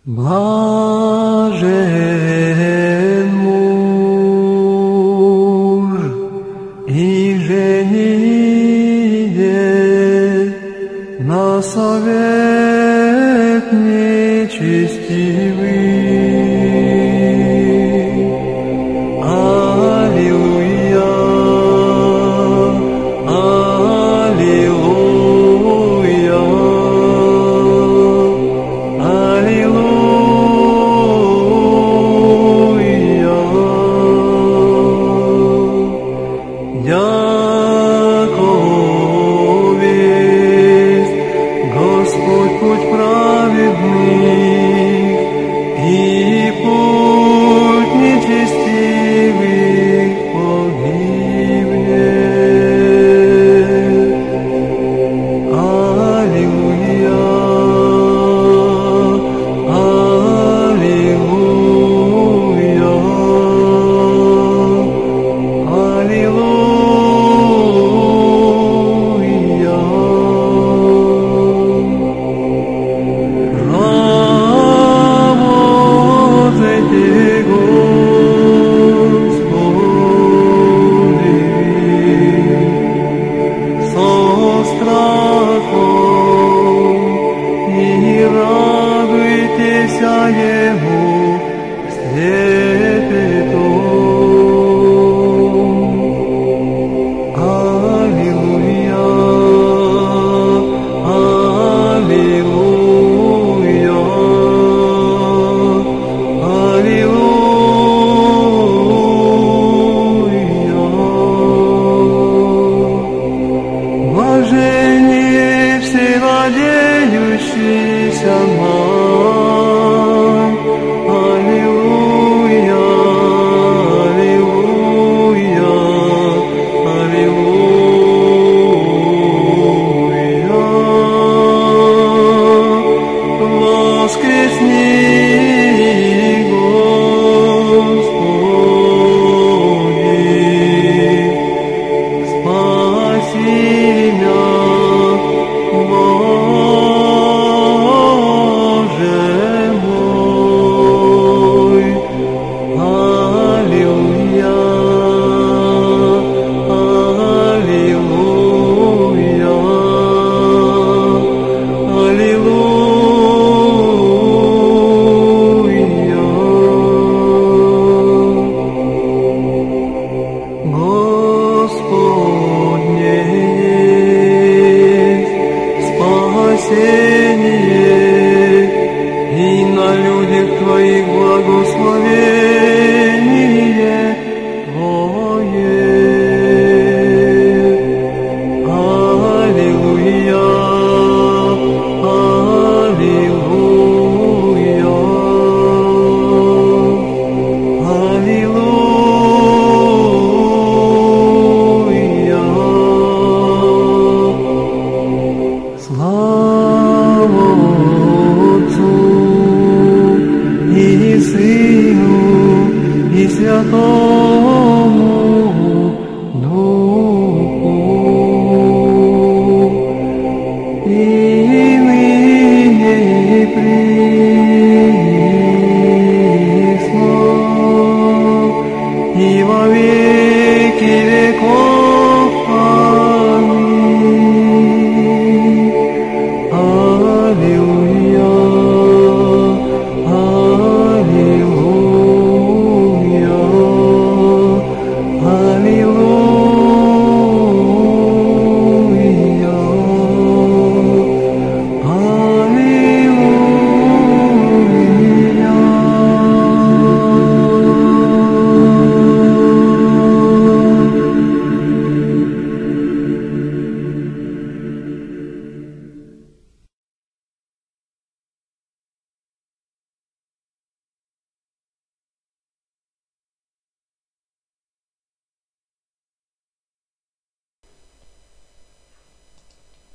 Blažen muž i ženije na совет нечестивый.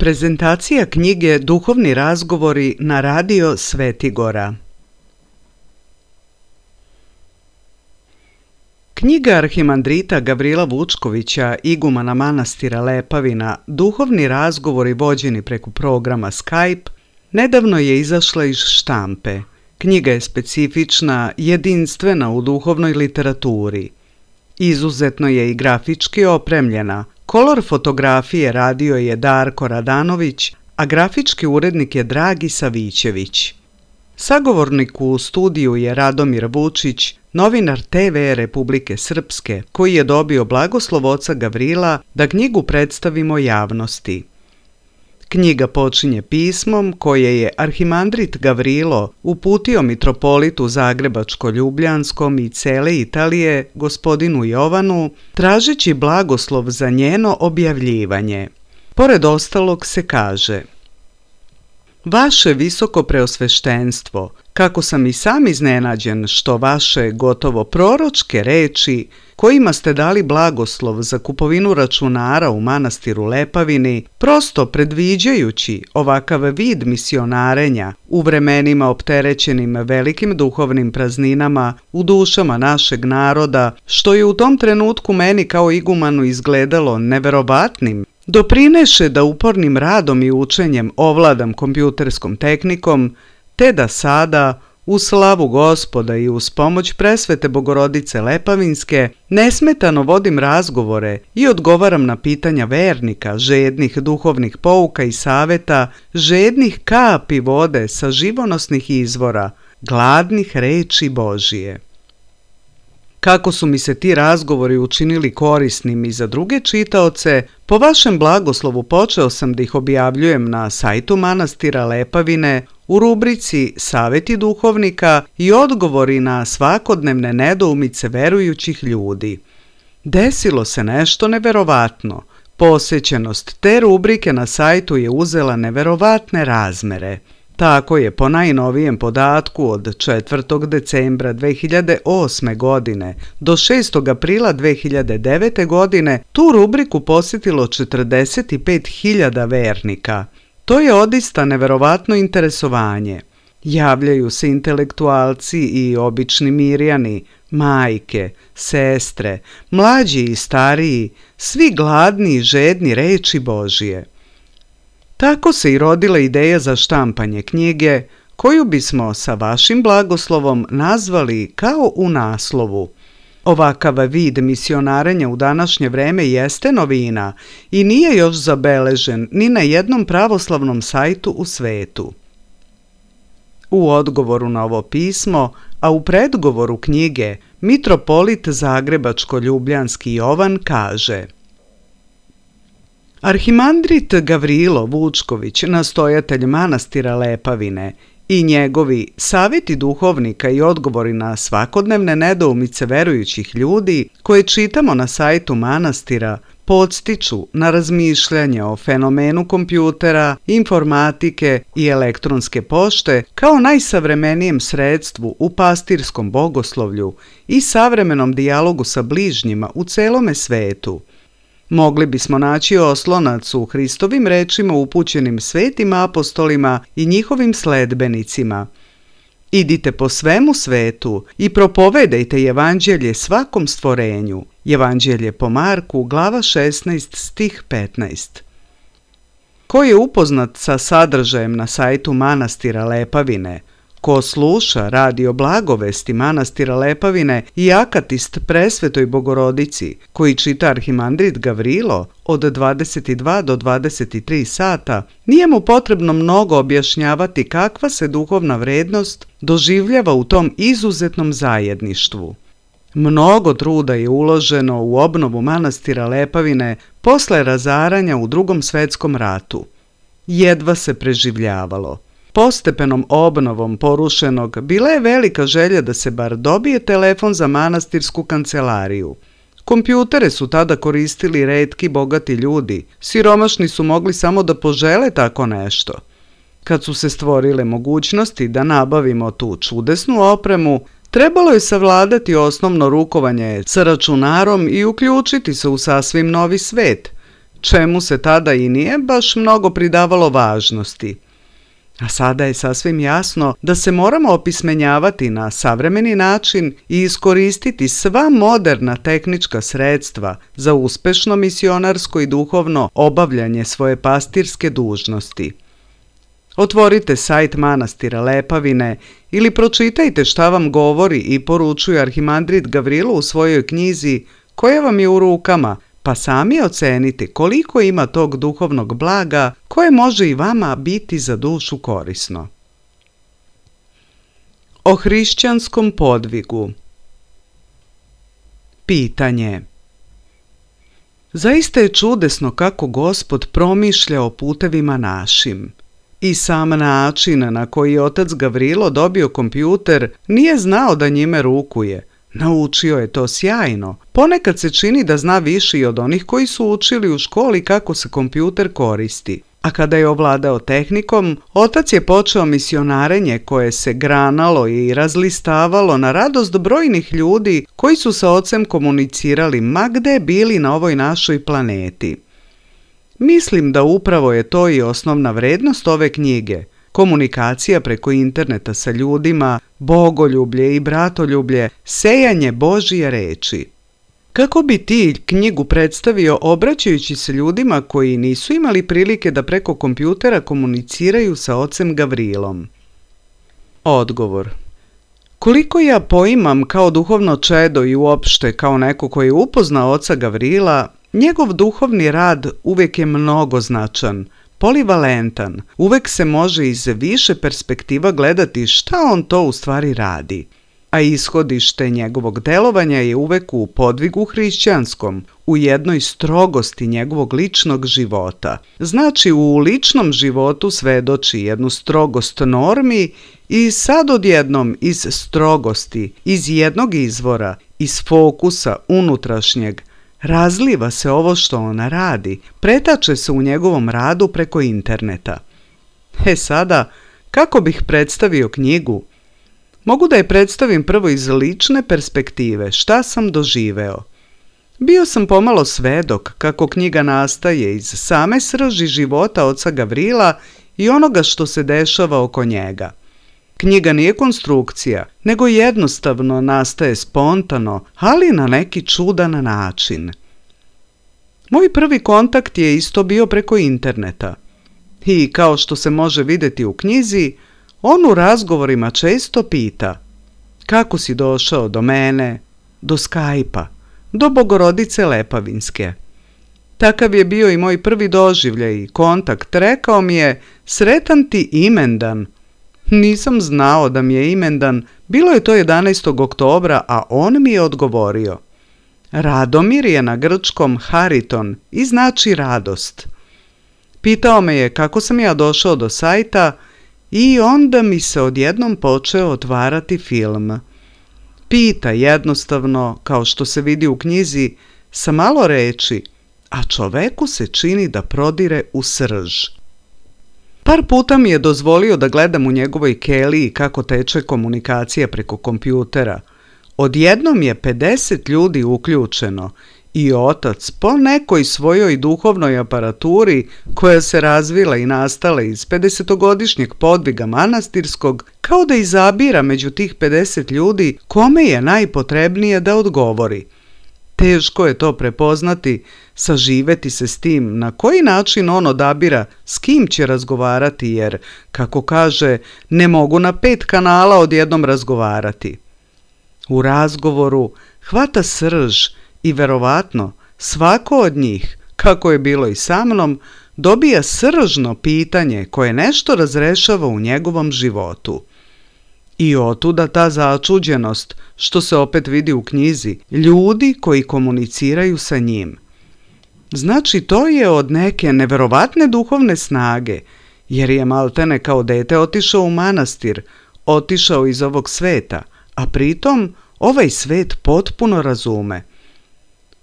Prezentacija knjige Duhovni razgovori na radio Svetigora. Knjiga arhimandrita Gavrila Vučkovića, igumana manastira Lepavina, Duhovni razgovori vođeni preko programa Skype, nedavno je izašla iz štampe Knjiga je specifična, jedinstvena u duhovnoj literaturi. Izuzetno je i grafički opremljena. Kolor fotografije radio je Darko Radanović, a grafički urednik je Dragi Savićević. Sagovornik u studiju je Radomir Vučić, novinar TV Republike Srpske, koji je dobio blagoslov oca Gavrila da knjigu predstavimo javnosti. Knjiga počinje pismom koje je arhimandrit Gavrilo uputio mitropolitu Zagrebačko-Ljubljanskom i cele Italije, gospodinu Jovanu, tražeći blagoslov za njeno objavljivanje. Pored ostalog se kaže: Vaše visoko preosveštenstvo, kako sam i sam iznenađen što vaše gotovo proročke reči, kojima ste dali blagoslov za kupovinu računara u manastiru Lepavini, prosto predviđajući ovakav vid misionarenja u vremenima opterećenim velikim duhovnim prazninama u dušama našeg naroda, što je u tom trenutku meni kao igumanu izgledalo neverovatnim, doprineše da upornim radom i učenjem ovladam kompjuterskom tehnikom, te da sada, u slavu Gospoda i uz pomoć presvete Bogorodice Lepavinske, nesmetano vodim razgovore i odgovaram na pitanja vernika, žednih duhovnih pouka i saveta, žednih kapi vode sa živonosnih izvora, gladnih reči Božije. Kako su mi se ti razgovori učinili korisnim i za druge čitaoce, po vašem blagoslovu počeo sam da ih objavljujem na sajtu manastira Lepavine u rubrici Saveti duhovnika i odgovori na svakodnevne nedoumice verujućih ljudi. Desilo se nešto neverovatno. Posećenost te rubrike na sajtu je uzela neverovatne razmere. Tako je po najnovijem podatku od 4. decembra 2008. godine do 6. aprila 2009. godine tu rubriku posjetilo 45.000 vernika. To je odista neverovatno interesovanje. Javljaju se intelektualci i obični mirjani, majke, sestre, mlađi i stariji, svi gladni i žedni reči Božije. Tako se i rodila ideja za štampanje knjige, koju bismo sa vašim blagoslovom nazvali kao u naslovu. Ovakav vid misionarenja u današnje vreme jeste novina i nije još zabeležen ni na jednom pravoslavnom sajtu u svetu. U odgovoru na ovo pismo, a u predgovoru knjige, mitropolit Zagrebačko-Ljubljanski Jovan kaže: Arhimandrit Gavrilo Vučković, nastojatelj manastira Lepavine, i njegovi saveti duhovnika i odgovori na svakodnevne nedoumice verujućih ljudi koje čitamo na sajtu manastira podstiču na razmišljanje o fenomenu kompjutera, informatike i elektronske pošte kao najsavremenijem sredstvu u pastirskom bogoslovlju i savremenom dijalogu sa bližnjima u celome svetu. Mogli bismo naći oslonac u Hristovim rečima upućenim svetim apostolima i njihovim sledbenicima. Idite po svemu svetu i propovedajte evanđelje svakom stvorenju. Evanđelje po Marku, glava 16, stih 15. Ko je upoznat sa sadržajem na sajtu manastira Lepavine, ko sluša radio blagovesti manastira Lepavine i akatist presvetoj Bogorodici, koji čita arhimandrit Gavrilo od 22 do 23 sata, nije mu potrebno mnogo objašnjavati kakva se duhovna vrednost doživljava u tom izuzetnom zajedništvu. Mnogo truda je uloženo u obnovu manastira Lepavine posle razaranja u Drugom svetskom ratu. Jedva se preživljavalo. Postepenom obnovom porušenog bila je velika želja da se bar dobije telefon za manastirsku kancelariju. Kompjutere su tada koristili retki bogati ljudi, siromašni su mogli samo da požele tako nešto. Kad su se stvorile mogućnosti da nabavimo tu čudesnu opremu, trebalo je savladati osnovno rukovanje sa računarom i uključiti se u sasvim novi svet, čemu se tada i nije baš mnogo pridavalo važnosti. A sada je sasvim jasno da se moramo opismenjavati na savremeni način i iskoristiti sva moderna tehnička sredstva za uspešno misionarsko i duhovno obavljanje svoje pastirske dužnosti. Otvorite sajt manastira Lepavine ili pročitajte šta vam govori i poručuje arhimandrit Gavrilo u svojoj knjizi koja vam je u rukama, pa sami ocenite koliko ima tog duhovnog blaga koje može i vama biti za dušu korisno. O hrišćanskom podvigu. Pitanje. Zaista je čudesno kako Gospod promišlja o putevima našim. I sam način na koji je otac Gavrilo dobio kompjuter nije znao da njime rukuje. Naučio je to sjajno. Ponekad se čini da zna više i od onih koji su učili u školi kako se kompjuter koristi. A kada je ovladao tehnikom, otac je počeo misionarenje koje se granalo i razlistavalo na radost brojnih ljudi koji su sa ocem komunicirali ma gde bili na ovoj našoj planeti. Mislim da upravo je to i osnovna vrednost ove knjige. Komunikacija preko interneta sa ljudima, bogoljublje i bratoljublje, sejanje Božje reči. Kako bi ti knjigu predstavio obraćajući se ljudima koji nisu imali prilike da preko kompjutera komuniciraju sa ocem Gavrilom? Odgovor. Koliko ja poimam kao duhovno čedo i uopšte kao neko koji je upoznao oca Gavrila, njegov duhovni rad uvijek je mnogoznačan, polivalentan, uvijek se može iz više perspektiva gledati šta on to u stvari radi. A ishodište njegovog delovanja je uvek u podvigu hrišćanskom, u jednoj strogosti njegovog ličnog života. Znači u ličnom životu svedoči jednu strogost normi i sad odjednom iz strogosti, iz jednog izvora, iz fokusa unutrašnjeg, razliva se ovo što ona radi, pretače se u njegovom radu preko interneta. Sada, kako bih predstavio knjigu? Mogu da je predstavim prvo iz lične perspektive, šta sam doživeo. Bio sam pomalo svedok kako knjiga nastaje iz same srži života oca Gavrila i onoga što se dešava oko njega. Knjiga nije konstrukcija, nego jednostavno nastaje spontano, ali na neki čudan način. Moj prvi kontakt je isto bio preko interneta. I kao što se može vidjeti u knjizi, on u razgovorima često pita: kako si došao do mene, do Skype-a, do Bogorodice Lepavinske. Takav je bio i moj prvi doživljaj i kontakt. Rekao mi je: sretan ti imendan. Nisam znao da mi je imendan, bilo je to 11. oktobra, a on mi je odgovorio: Radomir je na grčkom Hariton i znači radost. Pitao me je kako sam ja došao do sajta i onda mi se odjednom počeo otvarati film. Pita jednostavno, kao što se vidi u knjizi, sa malo reči, a čoveku se čini da prodire u srž. Par puta mi je dozvolio da gledam u njegovoj keliji kako teče komunikacija preko kompjutera. Odjednom je 50 ljudi uključeno i otac po nekoj svojoj duhovnoj aparaturi koja se razvila i nastala iz 50-godišnjeg podviga manastirskog, kao da izabira među tih 50 ljudi kome je najpotrebnije da odgovori. Teško je to prepoznati, saživeti se s tim na koji način on odabira s kim će razgovarati jer, kako kaže, ne mogu na 5 kanala odjednom razgovarati. U razgovoru hvata srž i verovatno svako od njih, kako je bilo i sa mnom, dobija sržno pitanje koje nešto razrešava u njegovom životu. I otuda ta začuđenost, što se opet vidi u knjizi, ljudi koji komuniciraju sa njim. Znači to je od neke neverovatne duhovne snage, jer je maltene kao dete otišao u manastir, otišao iz ovog sveta, a pritom ovaj svet potpuno razume.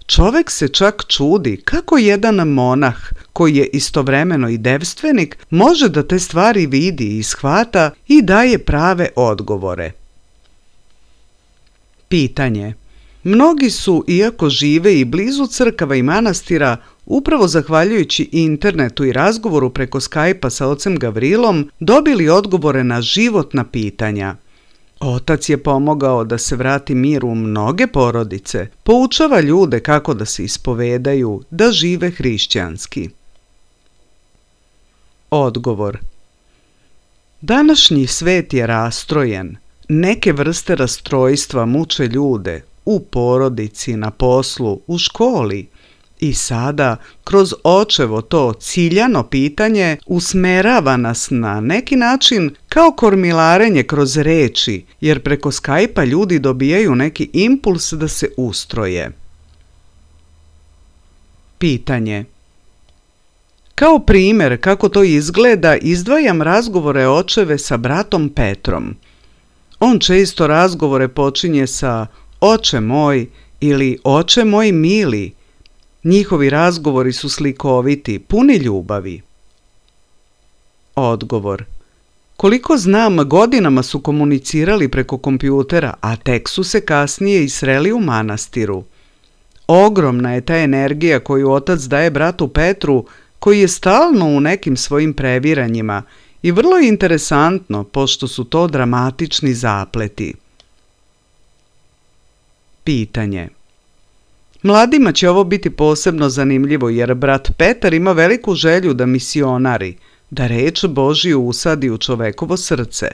Čovek se čak čudi kako jedan monah, koji je istovremeno i devstvenik, može da te stvari vidi i shvata i daje prave odgovore. Pitanje. Mnogi su, iako žive i blizu crkava i manastira, upravo zahvaljujući internetu i razgovoru preko Skype-a sa ocem Gavrilom, dobili odgovore na životna pitanja. Otac je pomogao da se vrati mir u mnoge porodice, poučava ljude kako da se ispovedaju, da žive hrišćanski. Odgovor. Današnji svet je rastrojen. Neke vrste rastrojstva muče ljude u porodici, na poslu, u školi. I sada, kroz očevo to ciljano pitanje usmerava nas na neki način kao kormilarenje kroz reči, jer preko Skype-a ljudi dobijaju neki impuls da se ustroje. Pitanje. Kao primjer kako to izgleda, izdvajam razgovore očeve sa bratom Petrom. On često razgovore počinje sa oče moj ili oče moj mili. Njihovi razgovori su slikoviti, puni ljubavi. Odgovor. Koliko znam, godinama su komunicirali preko kompjutera, a tek su se kasnije i sreli u manastiru. Ogromna je ta energija koju otac daje bratu Petru, koji je stalno u nekim svojim previranjima, i vrlo je interesantno, pošto su to dramatični zapleti. Pitanje. Mladima će ovo biti posebno zanimljivo, jer brat Petar ima veliku želju da misionari, da reč Božju usadi u čovekovo srce.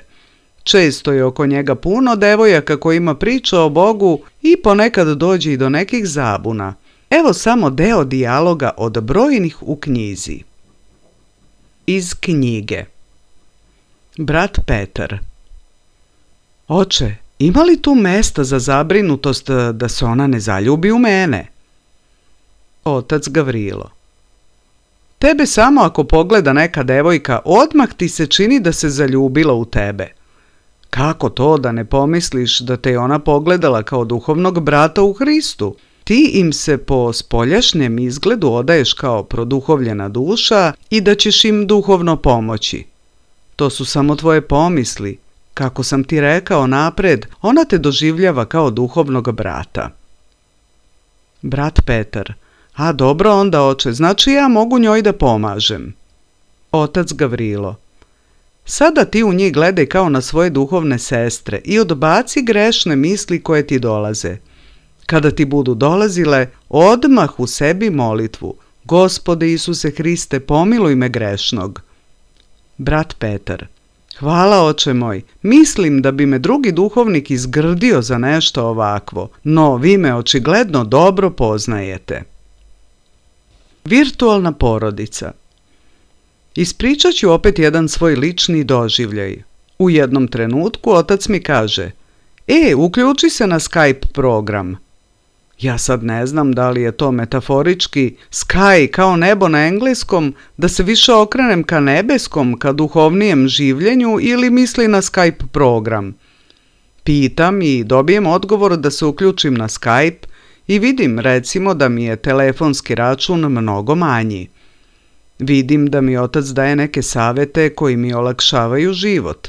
Često je oko njega puno devojaka kojima priča o Bogu i ponekad dođe i do nekih zabuna. Evo samo deo dijaloga od brojnih u knjizi. Iz knjige. Brat Petar. Oče, ima li tu mesta za zabrinutost da se ona ne zaljubi u mene? Otac Gavrilo. Tebe samo ako pogleda neka devojka, odmah ti se čini da se zaljubila u tebe. Kako to da ne pomisliš da te je ona pogledala kao duhovnog brata u Hristu? Ti im se po spoljašnjem izgledu odaješ kao produhovljena duša i da ćeš im duhovno pomoći. To su samo tvoje pomisli. Kako sam ti rekao napred, ona te doživljava kao duhovnog brata. Brat Petar. A dobro onda, oče, znači ja mogu njoj da pomažem. Otac Gavrilo. Sada ti u njih gledaj kao na svoje duhovne sestre i odbaci grešne misli koje ti dolaze. Kada ti budu dolazile, odmah u sebi molitvu. Gospode Isuse Hriste, pomiluj me grešnog. Brat Petar. Hvala, oče moj, mislim da bi me drugi duhovnik izgrdio za nešto ovakvo, no vi me očigledno dobro poznajete. Virtualna porodica. Ispričat ću opet jedan svoj lični doživljaj. U jednom trenutku otac mi kaže: uključi se na Skype program. Ja sad ne znam da li je to metaforički sky kao nebo na engleskom, da se više okrenem ka nebeskom, ka duhovnijem življenju, ili misli na Skype program. Pitam i dobijem odgovor da se uključim na Skype i vidim recimo da mi je telefonski račun mnogo manji. Vidim da mi otac daje neke savete koji mi olakšavaju život.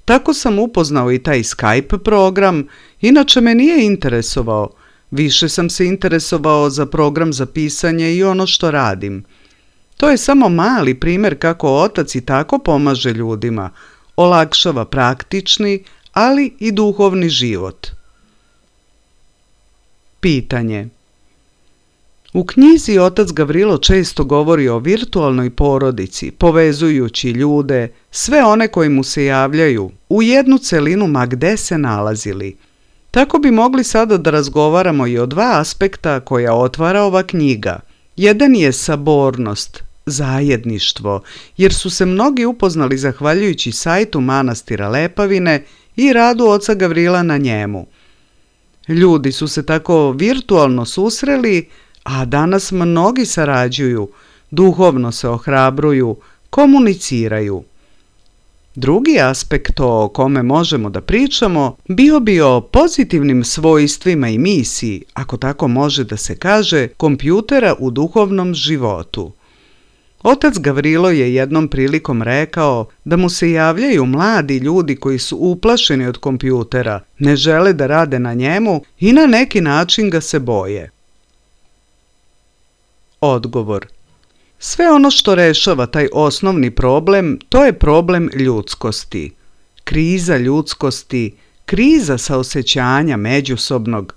Tako sam upoznao i taj Skype program, inače me nije interesovao. Više sam se interesovao za program za pisanje i ono što radim. To je samo mali primjer kako otac i tako pomaže ljudima, olakšava praktični, ali i duhovni život. Pitanje. U knjizi otac Gavrilo često govori o virtualnoj porodici, povezujući ljude, sve one koji mu se javljaju, u jednu celinu ma gde se nalazili. Tako bi mogli sada da razgovaramo i o dva aspekta koja otvara ova knjiga. Jedan je sabornost, zajedništvo, jer su se mnogi upoznali zahvaljujući sajtu manastira Lepavine i radu oca Gavrila na njemu. Ljudi su se tako virtualno susreli, a danas mnogi sarađuju, duhovno se ohrabruju, komuniciraju. Drugi aspekt o kome možemo da pričamo bio bi o pozitivnim svojstvima i misiji, ako tako može da se kaže, kompjutera u duhovnom životu. Otac Gavrilo je jednom prilikom rekao da mu se javljaju mladi ljudi koji su uplašeni od kompjutera, ne žele da rade na njemu i na neki način ga se boje. Odgovor. Sve ono što rešava taj osnovni problem, to je problem ljudskosti. Kriza ljudskosti, kriza saosećanja međusobnog,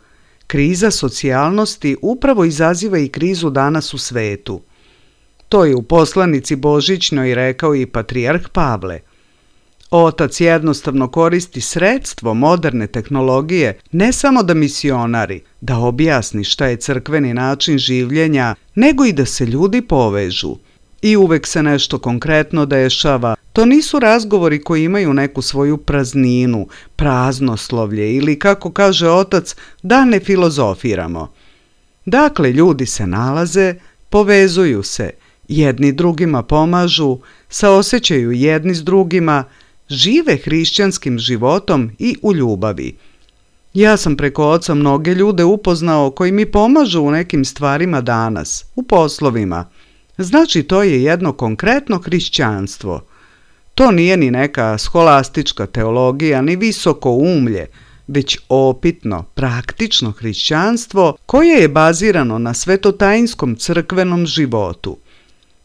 kriza socijalnosti upravo izaziva i krizu danas u svetu. To je u poslanici Božićnoj rekao i patrijarh Pavle. Otac jednostavno koristi sredstvo moderne tehnologije ne samo da misionari, da objasni šta je crkveni način življenja, nego i da se ljudi povežu. I uvek se nešto konkretno dešava. To nisu razgovori koji imaju neku svoju prazninu, praznoslovlje ili, kako kaže otac, da ne filozofiramo. Dakle, ljudi se nalaze, povezuju se, jedni drugima pomažu, saosećaju jedni s drugima, žive hrišćanskim životom i u ljubavi. Ja sam preko oca mnoge ljude upoznao koji mi pomažu u nekim stvarima danas, u poslovima. Znači, to je jedno konkretno hrišćanstvo. To nije ni neka scholastička teologija, ni visoko umlje, već opitno, praktično hrišćanstvo koje je bazirano na svetotajinskom crkvenom životu.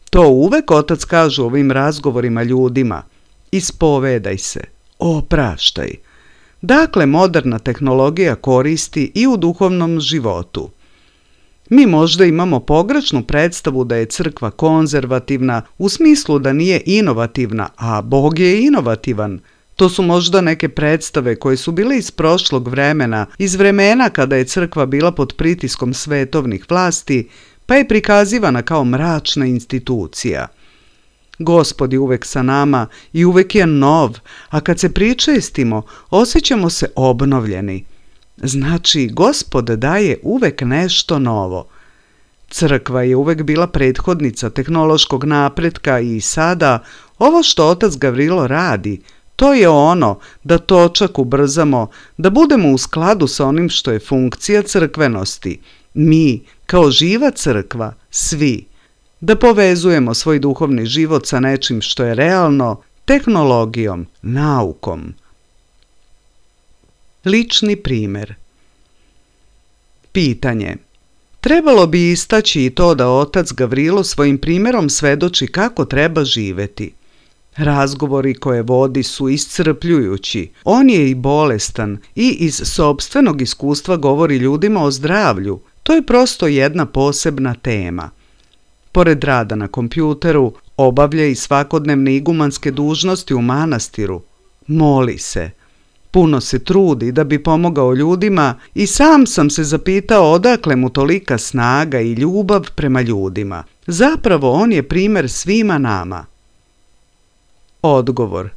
To uvek otac kaže u ovim razgovorima ljudima. Ispovedaj se, opraštaj. Dakle, moderna tehnologija koristi i u duhovnom životu. Mi možda imamo pogrešnu predstavu da je crkva konzervativna u smislu da nije inovativna, a Bog je inovativan. To su možda neke predstave koje su bile iz prošlog vremena, iz vremena kada je crkva bila pod pritiskom svetovnih vlasti, pa je prikazivana kao mračna institucija. Gospod je uvek sa nama i uvek je nov, a kad se pričestimo, osjećamo se obnovljeni. Znači, Gospod daje uvek nešto novo. Crkva je uvek bila prethodnica tehnološkog napretka i sada, ovo što otac Gavrilo radi, to je ono da točak ubrzamo, da budemo u skladu sa onim što je funkcija crkvenosti. Mi, kao živa crkva, svi. Da povezujemo svoj duhovni život sa nečim što je realno, tehnologijom, naukom. Lični primjer. Pitanje. Trebalo bi istaći i to da otac Gavrilo svojim primjerom svedoči kako treba živeti. Razgovori koje vodi su iscrpljujući. On je i bolestan i iz sopstvenog iskustva govori ljudima o zdravlju. To je prosto jedna posebna tema. Pored rada na kompjuteru, obavlja i svakodnevne igumanske dužnosti u manastiru. Moli se. Puno se trudi da bi pomogao ljudima i sam sam se zapitao odakle mu tolika snaga i ljubav prema ljudima. Zapravo on je primjer svima nama. Odgovor.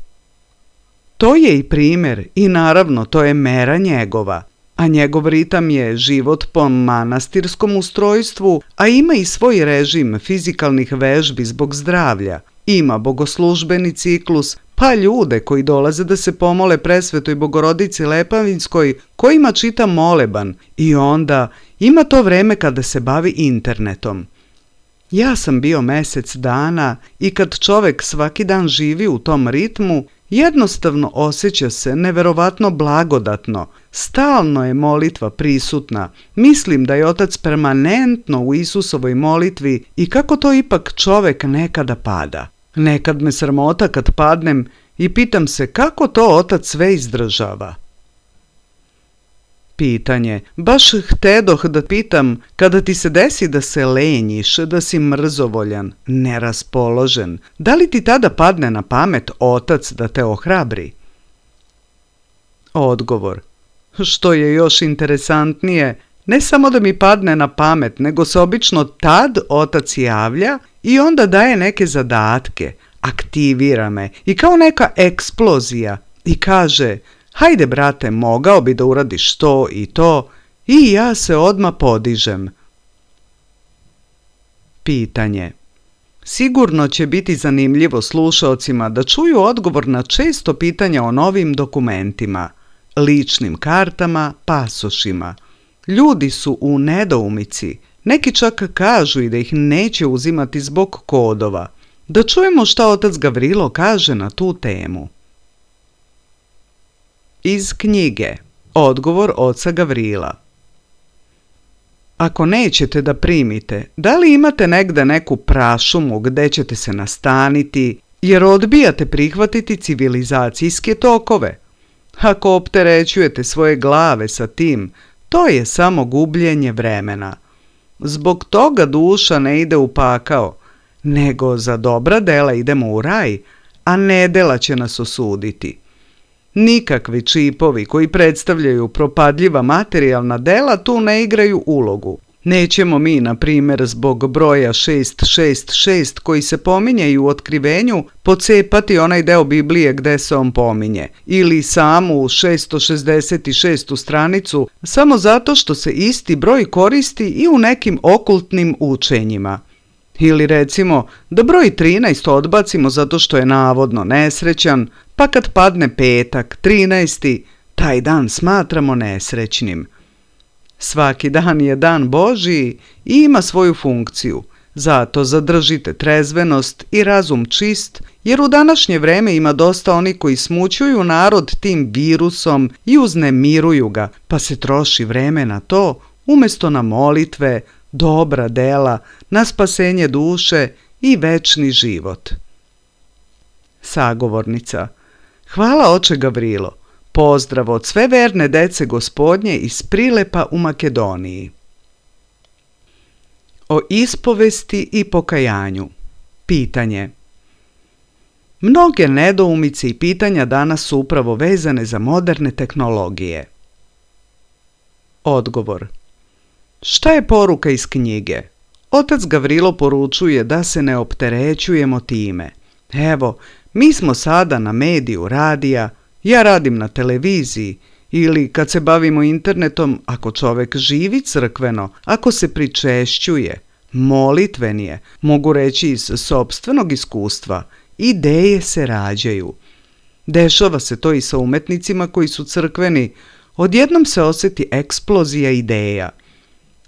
To je i primjer i naravno to je mera njegova, a njegov ritam je život po manastirskom ustrojstvu, a ima i svoj režim fizikalnih vežbi zbog zdravlja. Ima bogoslužbeni ciklus, pa ljude koji dolaze da se pomole presvetoj Bogorodici Lepavinskoj, kojima čita moleban, i onda ima to vreme kada se bavi internetom. Ja sam bio mjesec dana i kad čovek svaki dan živi u tom ritmu, jednostavno osjeća se neverovatno blagodatno. Stalno je molitva prisutna. Mislim da je otac permanentno u Isusovoj molitvi i kako to ipak čovek nekada pada. Nekad me sramota kad padnem i pitam se kako to otac sve izdržava. Pitanje. Baš htedoh da pitam, kada ti se desi da se lenjiš, da si mrzovoljan, neraspoložen, da li ti tada padne na pamet otac da te ohrabri? Odgovor. Što je još interesantnije, ne samo da mi padne na pamet, nego se obično tad otac javlja i onda daje neke zadatke, aktivira me i kao neka eksplozija i kaže: hajde brate, mogao bi da uradiš to i to, i ja se odmah podižem. Pitanje. Sigurno će biti zanimljivo slušaocima da čuju odgovor na često pitanja o novim dokumentima, ličnim kartama, pasošima. Ljudi su u nedoumici, neki čak kažu i da ih neće uzimati zbog kodova. Da čujemo šta otac Gavrilo kaže na tu temu. Iz knjige. Odgovor oca Gavrila. Ako nećete da primite, da li imate negde neku prašumu gde ćete se nastaniti, jer odbijate prihvatiti civilizacijske tokove? Ako opterećujete svoje glave sa tim, to je samo gubljenje vremena. Zbog toga duša ne ide u pakao, nego za dobra dela idemo u raj, a nedela će nas osuditi. Nikakvi čipovi koji predstavljaju propadljiva materijalna dela tu ne igraju ulogu. Nećemo mi, na primjer, zbog broja 666 koji se pominje i u otkrivenju, pocepati onaj deo Biblije gde se on pominje, ili samu 666. stranicu, samo zato što se isti broj koristi i u nekim okultnim učenjima. Ili recimo da broj 13 odbacimo zato što je navodno nesrećan, pa kad padne petak, 13. taj dan smatramo nesrećnim. Svaki dan je dan Božiji i ima svoju funkciju, zato zadržite trezvenost i razum čist, jer u današnje vreme ima dosta onih koji smućuju narod tim virusom i uznemiruju ga, pa se troši vreme na to umjesto na molitve, dobra dela, na spasenje duše i večni život. Sagovornica. Hvala oče Gavrilo. Pozdrav od sve verne dece Gospodnje iz Prilepa u Makedoniji. O ispovesti i pokajanju. Pitanje. Mnoge nedoumice i pitanja danas su upravo vezane za moderne tehnologije. Odgovor. Šta je poruka iz knjige? Otac Gavrilo poručuje da se ne opterećujemo time. Evo, mi smo sada na mediju radija, ja radim na televiziji, ili kad se bavimo internetom, ako čovek živi crkveno, ako se pričešćuje, molitven je, mogu reći iz sopstvenog iskustva, ideje se rađaju. Dešava se to i sa umetnicima koji su crkveni, odjednom se osjeti eksplozija ideja.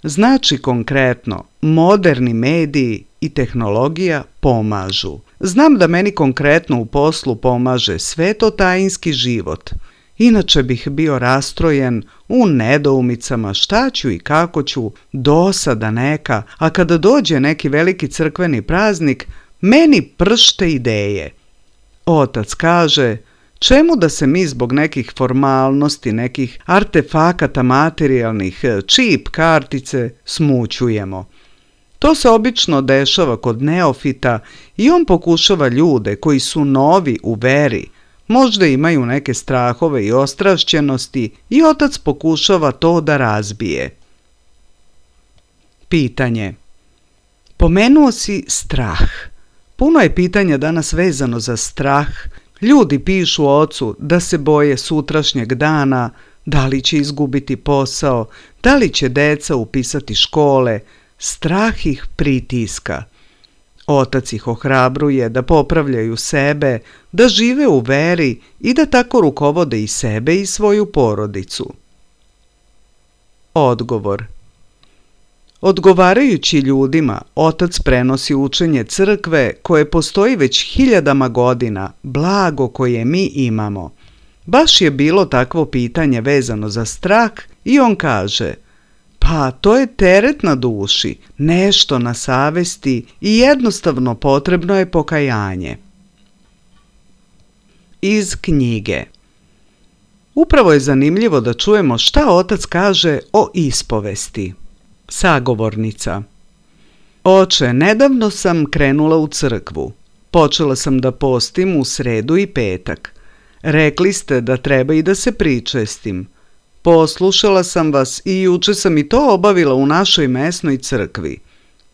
Znači konkretno, moderni mediji i tehnologija pomažu. Znam da meni konkretno u poslu pomaže svetotajinski život. Inače bih bio rastrojen u nedoumicama šta ću i kako ću, dosada neka, a kada dođe neki veliki crkveni praznik, meni pršte ideje. Otac kaže, čemu da se mi zbog nekih formalnosti, nekih artefakata materijalnih, čip kartice, smućujemo? To se obično dešava kod neofita i on pokušava ljude koji su novi u veri, možda imaju neke strahove i ostrašćenosti i otac pokušava to da razbije. Pitanje. Pomenuo si strah. Puno je pitanja danas vezano za strah. Ljudi pišu ocu da se boje sutrašnjeg dana, da li će izgubiti posao, da li će deca upisati škole. Strah ih pritiska. Otac ih ohrabruje da popravljaju sebe, da žive u veri i da tako rukovode i sebe i svoju porodicu. Odgovor. Odgovarajući ljudima, otac prenosi učenje crkve koje postoji već hiljadama godina, blago koje mi imamo. Baš je bilo takvo pitanje vezano za strah i on kaže, pa to je teret na duši, nešto na savesti i jednostavno potrebno je pokajanje. Iz knjige. Upravo je zanimljivo da čujemo šta otac kaže o ispovesti. Sagovornica. Oče, nedavno sam krenula u crkvu. Počela sam da postim u sredu i petak. Rekli ste da treba i da se pričestim. Poslušala sam vas i juče sam i to obavila u našoj mesnoj crkvi.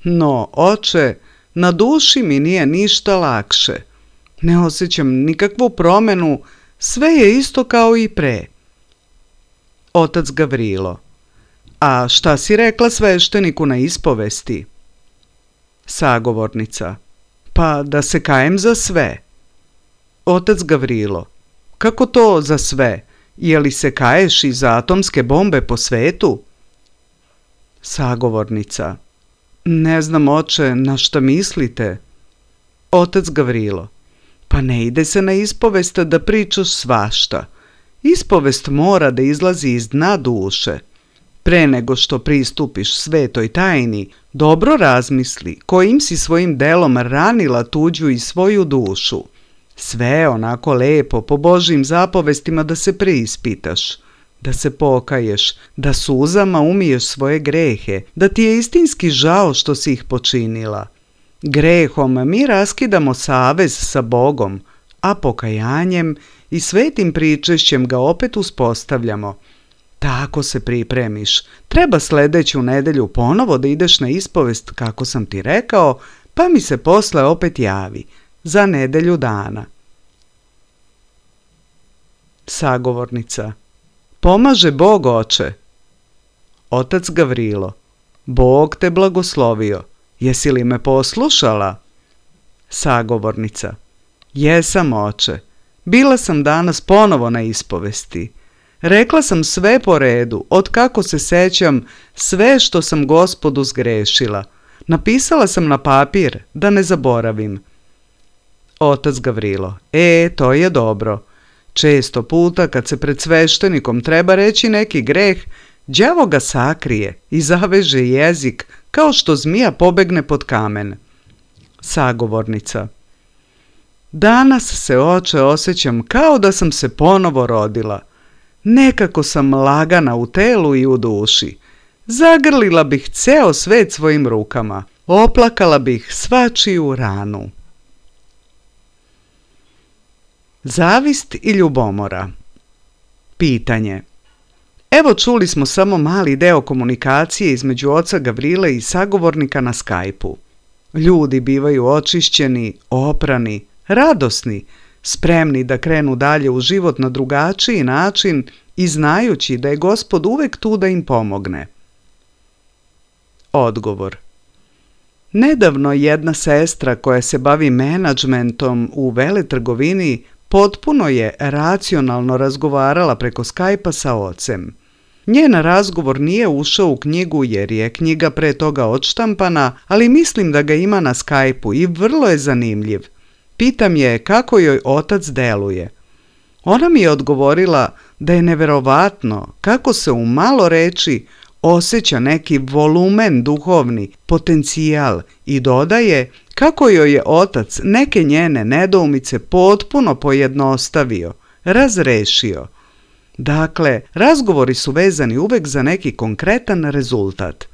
No, oče, na duši mi nije ništa lakše. Ne osjećam nikakvu promenu, sve je isto kao i pre. Otac Gavrilo. A šta si rekla svešteniku na ispovesti? Sagovornica. Pa da se kajem za sve. Otac Gavrilo. Kako to za sve? Je li se kaješ i za atomske bombe po svetu? Sagovornica. Ne znam, oče, na šta mislite? Otac Gavrilo. Pa ne ide se na ispovest da pričaš svašta. Ispovest mora da izlazi iz dna duše. Pre nego što pristupiš svetoj tajni, dobro razmisli kojim si svojim delom ranila tuđu i svoju dušu. Sve onako lepo po Božjim zapovestima da se preispitaš, da se pokaješ, da suzama umiješ svoje grehe, da ti je istinski žao što si ih počinila. Grehom mi raskidamo savez sa Bogom, a pokajanjem i svetim pričešćem ga opet uspostavljamo. Tako se pripremiš. Treba sljedeću nedjelju ponovo da ideš na ispovest kako sam ti rekao, pa mi se posle opet javi. Za nedjelju dana. Sagovornica. Pomaže Bog, oče. Otac Gavrilo. Bog te blagoslovio. Jesi li me poslušala? Sagovornica. Jesam, oče. Bila sam danas ponovo na ispovesti. Rekla sam sve po redu, od kako se sećam, sve što sam Gospodu zgrešila. Napisala sam na papir, da ne zaboravim. Otac Gavrilo. To je dobro. Često puta kad se pred sveštenikom treba reći neki greh, đavo ga sakrije i zaveže jezik kao što zmija pobegne pod kamen. Sagovornica. Danas se, oče, osjećam kao da sam se ponovo rodila. Nekako sam lagana u telu i u duši. Zagrlila bih ceo svet svojim rukama. Oplakala bih svačiju ranu. Zavist i ljubomora. Pitanje. Evo čuli smo samo mali deo komunikacije između oca Gavrile i sagovornika na Skype-u. Ljudi bivaju očišćeni, oprani, radosni, spremni da krenu dalje u život na drugačiji način i znajući da je Gospod uvek tu da im pomogne. Odgovor. Nedavno jedna sestra koja se bavi menadžmentom u veletrgovini potpuno je racionalno razgovarala preko Skype-a sa ocem. Njen razgovor nije ušao u knjigu jer je knjiga pre toga odštampana, ali mislim da ga ima na Skype-u i vrlo je zanimljiv. Pitam je kako joj otac deluje. Ona mi je odgovorila da je neverovatno kako se u malo reči osjeća neki volumen duhovni, potencijal i dodaje kako joj je otac neke njene nedoumice potpuno pojednostavio, razrešio. Dakle, razgovori su vezani uvek za neki konkretan rezultat.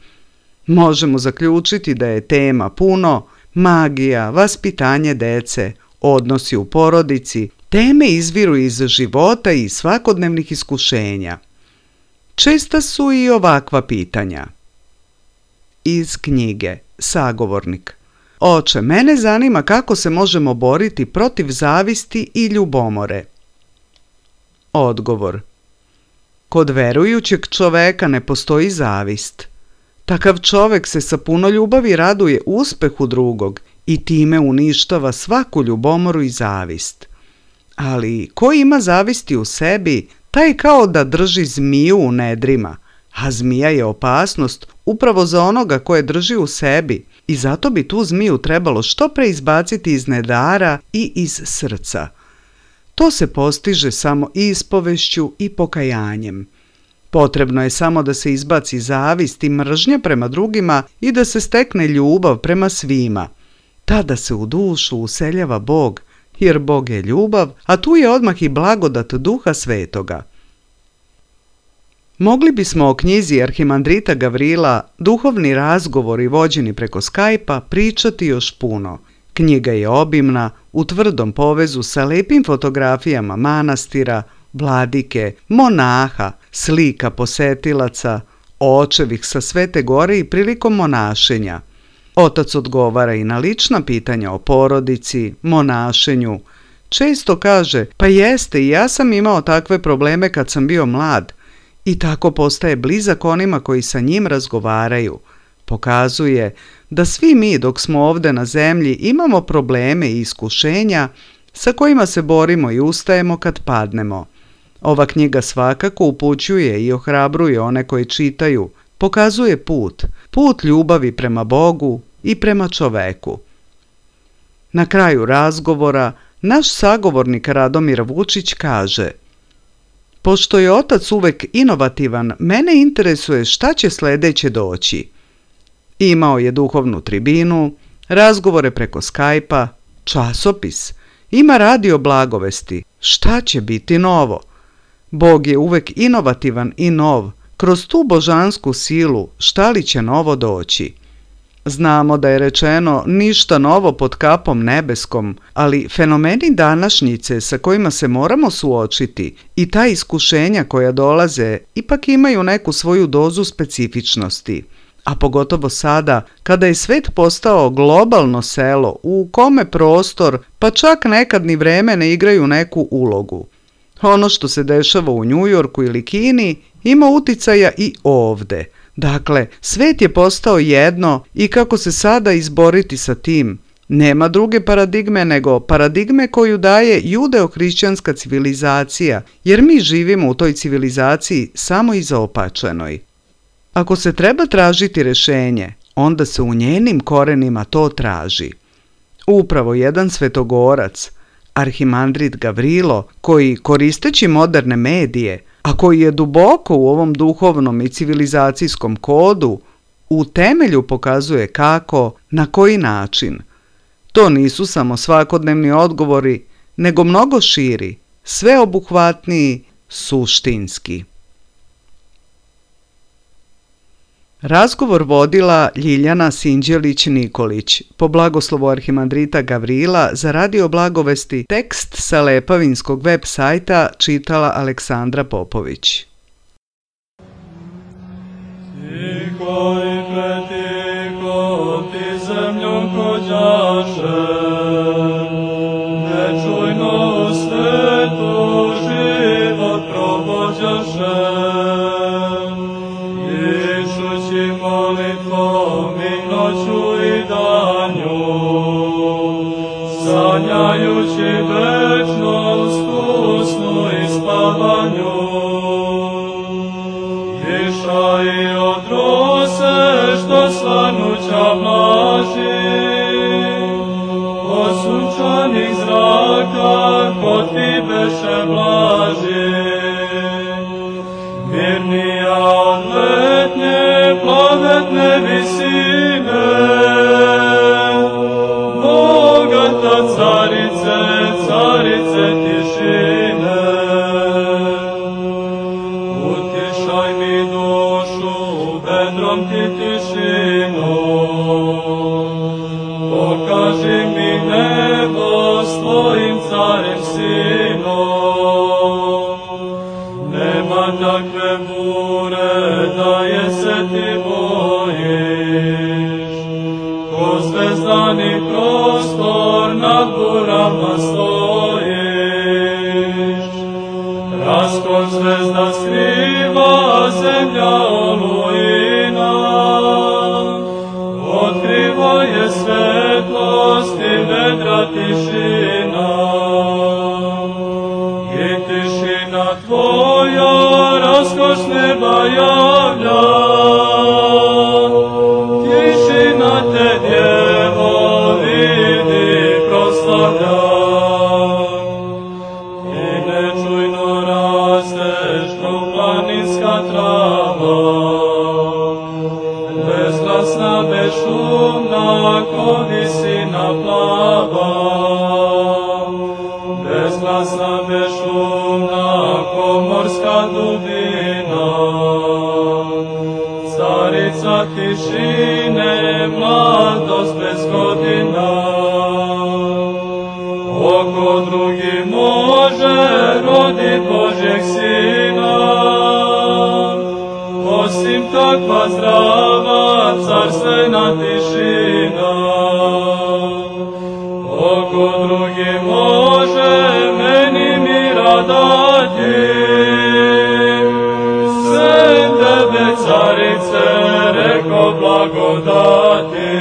Možemo zaključiti da je tema puno magija, vaspitanje dece, odnosi u porodici, teme izviru iz života i svakodnevnih iskušenja. Česta su i ovakva pitanja. Iz knjige Sagovornik. Oče, mene zanima kako se možemo boriti protiv zavisti i ljubomore. Odgovor. Kod verujućeg čoveka ne postoji zavist. Takav čovek se sa puno ljubavi raduje uspehu drugog i time uništava svaku ljubomoru i zavist. Ali ko ima zavisti u sebi, taj kao da drži zmiju u nedrima, a zmija je opasnost upravo za onoga koje drži u sebi i zato bi tu zmiju trebalo što pre izbaciti iz nedara i iz srca. To se postiže samo ispovešću i pokajanjem. Potrebno je samo da se izbaci zavist i mržnja prema drugima i da se stekne ljubav prema svima. Tada se u dušu useljava Bog, jer Bog je ljubav, a tu je odmah i blagodat Duha Svetoga. Mogli bismo o knjizi arhimandrita Gavrila Duhovni razgovori vođeni preko Skype-a pričati još puno. Knjiga je obimna, u tvrdom povezu sa lepim fotografijama manastira, vladike, monaha, slika posetilaca, očevih sa Svete Gore i prilikom monašenja. Otac odgovara i na lična pitanja o porodici, monašenju. Često kaže, pa jeste, i ja sam imao takve probleme kad sam bio mlad. I tako postaje blizak onima koji sa njim razgovaraju. Pokazuje da svi mi dok smo ovde na zemlji imamo probleme i iskušenja sa kojima se borimo i ustajemo kad padnemo. Ova knjiga svakako upućuje i ohrabruje one koji čitaju, pokazuje put ljubavi prema Bogu i prema čoveku. Na kraju razgovora naš sagovornik Radomir Vučić kaže: pošto je otac uvek inovativan, mene interesuje šta će sledeće doći. Imao je duhovnu tribinu, razgovore preko Skype-a, časopis, ima radio blagovesti. Šta će biti novo? Bog je uvek inovativan i nov. Kroz tu božansku silu šta li će novo doći? Znamo da je rečeno ništa novo pod kapom nebeskom, ali fenomeni današnjice sa kojima se moramo suočiti i ta iskušenja koja dolaze ipak imaju neku svoju dozu specifičnosti. A pogotovo sada, kada je svet postao globalno selo u kome prostor, pa čak nekad ni vreme ne igraju neku ulogu. Ono što se dešava u Njujorku ili Kini ima uticaja i ovde. Dakle, svet je postao jedno i kako se sada izboriti sa tim? Nema druge paradigme nego paradigme koju daje judeo-hrišćanska civilizacija, jer mi živimo u toj civilizaciji samo izaopačenoj. Ako se treba tražiti rešenje, onda se u njenim korenima to traži. Upravo jedan svetogorac, arhimandrit Gavrilo, koji koristeći moderne medije, a koji je duboko u ovom duhovnom i civilizacijskom kodu, u temelju pokazuje kako, na koji način. To nisu samo svakodnevni odgovori, nego mnogo širi, sveobuhvatniji, suštinski. Razgovor vodila Ljiljana Sinđelić-Nikolić, po blagoslovu arhimandrita Gavrila za Radio Blagovesti, tekst sa Lepavinskog web sajta čitala Aleksandra Popović. Tiho i pretiho ti zemljom hođaše, nečujno u svetu život provođaše. Molitvom i noću i danju, sanjajući večnost u snu i spavanju. Iša i odrose što svanuća mlaži, od sunčanih zraka kod ti beše blaži. Mirnija od letnje plavetne visine, bogata carice, carice tišine. Utišaj mi dušu, vedrom ti tišinu, pokaži mi nebo s tvojim carem sinom. Nema takve bure da je se ti bojiš, ko zvezdani prostor nad burama stojiš. Raskon zvezda skriva zemlja olujina, otkriva je svetlost i vedra tišina. I tišina tvoja raskoš neba javlja, tišina te djevo vidi proslavlja. I nečujno rasteš ko planinska trava, bezglasna, bezšumna ko visina plava. Bezglasna, bezšumna ko morska dubina, carica tišine, mladost bez godina. Oko drugi može rodit Božjeg sina, osim takva zdrava carstvena tišina. Oko drugi može meni mira dati, sem tebe carice reko blagodati.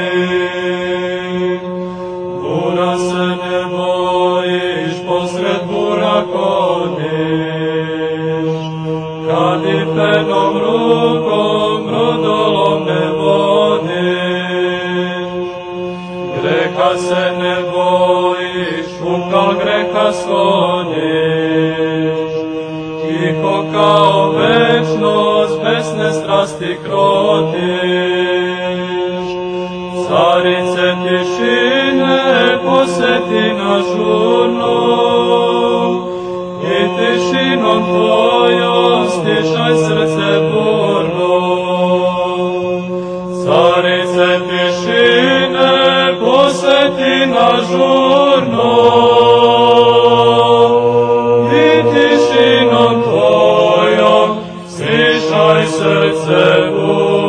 Bura se ne bojiš, posred bura kodiš, kad i penom rukom brodolom ne vodiš. Greha se ne bojiš, uka greha skloniš, tiho kao večnost besne strasti krotiš. Carice tišine poseti nas žurno, i tišinom tvojom stišaj srce burno. Carice tišine ažurno i tišinom tvojom slišaj srce Bože.